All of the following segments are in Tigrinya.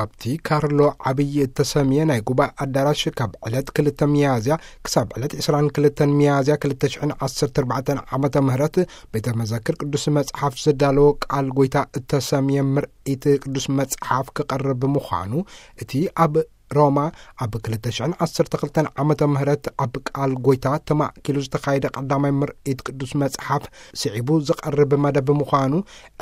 ኣብቲ ካርሎ ዓብዪ እተሰምየ ናይ ጉባኤ ኣዳራሽ ካብ ዕለት ክልተ ሚያዝያ ክሳብ ዕለት ዕስራን ክልተን ሚያዝያ ክልተ ሽሕን ዓሰርተ ኣርባዕተን ዓመተ ምህረት ቤተ መዘክር ቅዱስ መጽሓፍ ዘዳለዎ ቃል ጎይታ እተሰምየ ምርኢት ቅዱስ መጽሓፍ ክቐርብ ምዃኑ፣ እቲ ኣብ ሮማ ኣብ ክልተ ሽሕን ዓሰርተ ክልተን ዓመተ ምህረት ኣብ ቃል ጎይታ ተማእኪሉ ዝተኻየደ ቀዳማይ ምርኢት ቅዱስ መጽሓፍ ስዒቡ ዝቐርብ መደብ ምዃኑ፣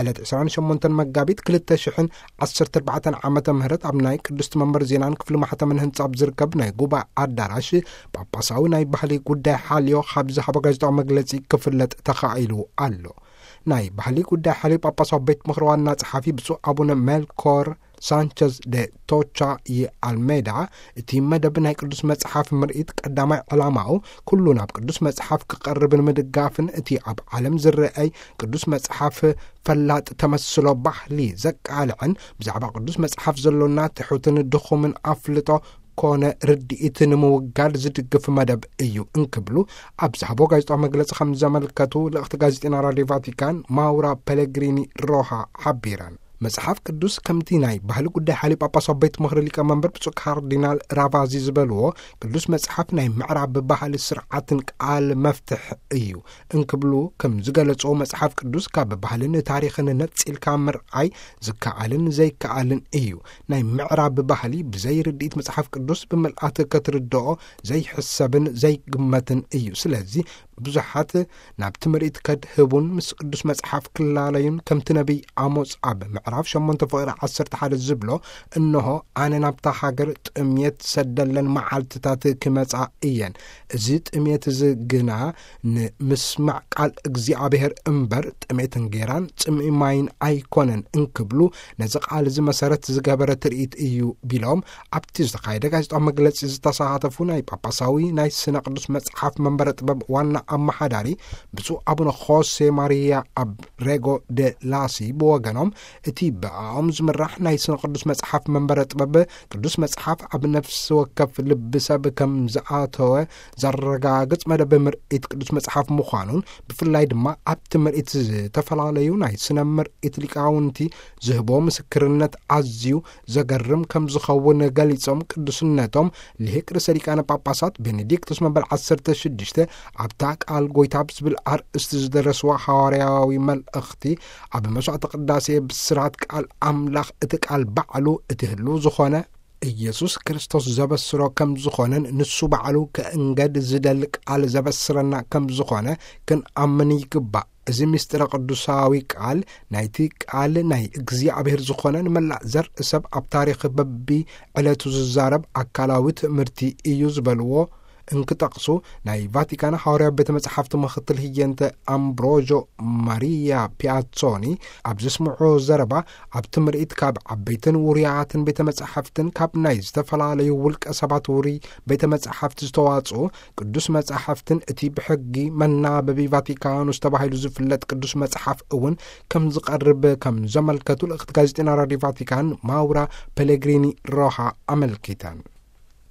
ዕለት ዕስራን ሸሞንተን መጋቢት ክልተ ሽሕን ዓሰርተ ኣርባዕተን ዓመተ ምህረት ኣብ ናይ ቅድስቲ መንበር ዜናን ክፍሊ ማሕተምን ህንጻ ኣብ ዝርከብ ናይ ጉባኤ ኣዳራሽ ጳጳሳዊ ናይ ባህሊ ጉዳይ ሓልዮ ካብ ዝሃቦ ጋዜጣዊ መግለጺ ክፍለጥ ተኻኢሉ ኣሎ። ናይ ባህሊ ጉዳይ ሓልዮ ጳጳሳዊ ቤት ምኽሪ ዋና ጸሓፊ ብፁዕ ኣቡነ ሜልኮር ሳንቸዝ ደ ቶቻ ይ ኣልሜዳ፣ እቲ መደብ ናይ ቅዱስ መጽሓፍ ምርኢት ቀዳማይ ዕላማኡ ኩሉ ናብ ቅዱስ መጽሓፍ ክቐርብ ንምድጋፍን እቲ ኣብ ዓለም ዝረኣይ ቅዱስ መጽሓፍ ፈላጥ ተመስሎ ባህሊ ዘቃልዕን ብዛዕባ ቅዱስ መጽሓፍ ዘሎና ትሑትን ድኹምን ኣፍልጦ ኮነ ርድኢት ንምውጋድ ዝድግፍ መደብ እዩ እንክብሉ ኣብ ዝሃቦ ጋዜጣዊ መግለጺ ከም ዘመልከቱ ልእኽቲ ጋዜጠና ራድዮ ቫቲካን ማውራ ፔሌግሪኒ ሮሃ ሓቢረን። መጽሓፍ ቅዱስ ከምቲ ናይ ባህሊ ጉዳይ ሓልዮ ጳጳሳዊ ቤት ምኽሪ ሊቀ መንበር ብፁዕ ካርዲናል ራቫዚ ዝበልዎ፣ ቅዱስ መጽሓፍ ናይ ምዕራብ ባህሊ ስርዓትን ቃል መፍትሕ እዩ እንክብሉ ከም ዝገለጾ፣ መጽሓፍ ቅዱስ ካብ ባህልን ታሪኽን ነጺልካ ምርኣይ ዝከኣልን ዘይከኣልን እዩ። ናይ ምዕራብ ባህሊ ብዘይ ርድኢት መጽሓፍ ቅዱስ ብምልኣት ክትርድኦ ዘይሕሰብን ዘይግመትን እዩ። ስለዚ ብዙሓት ናብቲ ምርኢት ከድህቡን ምስ ቅዱስ መጽሓፍ ክላለዩን፣ ከምቲ ነቢይ ኣሞጽ ኣብ ምዕራፍ ሸሞንተ ፍቕሪ ዓሰርተ ሓደ ዝብሎ፣ "እንሆ ኣነ ናብታ ሃገር ጥምየት ሰደለን መዓልትታት ክመጻ እየን። እዚ ጥምየት እዚ ግና ንምስማዕ ቃል እግዚኣብሔር እምበር ጥሜት እንጌራን ጽምኢ ማይን ኣይኮነን" እንክብሉ ነዚ ቃል እዚ መሰረት ዝገበረ ትርኢት እዩ ቢሎም፣ ኣብቲ ዝተኻየደ ጋዜጣዊ መግለጺ ዝተሳተፉ ናይ ጳጳሳዊ ናይ ስነ ቅዱስ መጽሓፍ መንበረ ጥበብ ዋና ኣመሓዳሪ ብፁዕ ኣቡነ ሆሴ ማሪያ ኣብሬጎ ደ ላሲ ብወገኖም፣ እቲ ብኣኦም ዝምራሕ ናይ ስነ ቅዱስ መጽሓፍ መንበረ ጥበብ ቅዱስ መጽሓፍ ኣብ ነፍሲ ወከፍ ልቢ ሰብ ከም ዝኣተወ ዘረጋግጽ መደብ ምርኢት ቅዱስ መጽሓፍ ምዃኑን፣ ብፍላይ ድማ ኣብቲ ምርኢት ዝተፈላለዩ ናይ ስነ ምርኢት ሊቃውንቲ ዝህቦ ምስክርነት ኣዝዩ ዘገርም ከም ዝኸውን ገሊጾም፣ ቅዱስነቶም ልሂቅ ርእሰ ሊቃነ ጳጳሳት ቤኔዲክቶስ መበል ዓሰርተ ሽዱሽተ ኣብታ ቃል ጎይታ ብዝብል ኣርእስቲ ዝደረስዋ ሃዋርያዊ መልእኽቲ፣ ኣብ መስዋዕተ ቅዳሴ ብስራት ቃል ኣምላኽ፣ እቲ ቃል ባዕሉ እቲ ህልው ዝኾነ ኢየሱስ ክርስቶስ ዘበስሮ ከም ዝኾነን ንሱ ባዕሉ ክእንገድ ዝደሊ ቃል ዘበስረና ከም ዝኾነ ክንኣምን ይግባእ። እዚ ምስጢረ ቅዱሳዊ ቃል፣ ናይቲ ቃል ናይ እግዚኣብሔር ዝኾነ፣ ንመላእ ዘርኢ ሰብ ኣብ ታሪኽ በቢ ዕለቱ ዝዛረብ ኣካላዊ ትምህርቲ እዩ ዝበልዎ እንክጠቕሱ፣ ናይ ቫቲካን ሃዋርያዊ ቤተ መጻሕፍቲ ምኽትል ህየንተ ኣምብሮዦ ማሪያ ፒያሶኒ ኣብ ዘስምዖ ዘረባ፣ ኣብቲ ምርኢት ካብ ዓበይትን ውሩያትን ቤተ መጻሕፍትን ካብ ናይ ዝተፈላለዩ ውልቀ ሰባት ውሩይ ቤተ መጻሕፍቲ ዝተዋጽኡ ቅዱስ መጻሕፍትን እቲ ብሕጊ መናበቢ ቫቲካኑስ ተባሂሉ ዝፍለጥ ቅዱስ መጽሓፍ እውን ከም ዝቐርብ ከም ዘመልከቱ ልእኽቲ ጋዜጠና ራድዮ ቫቲካን ማውራ ፔሌግሪኒ ሮሃ ኣመልኪተን።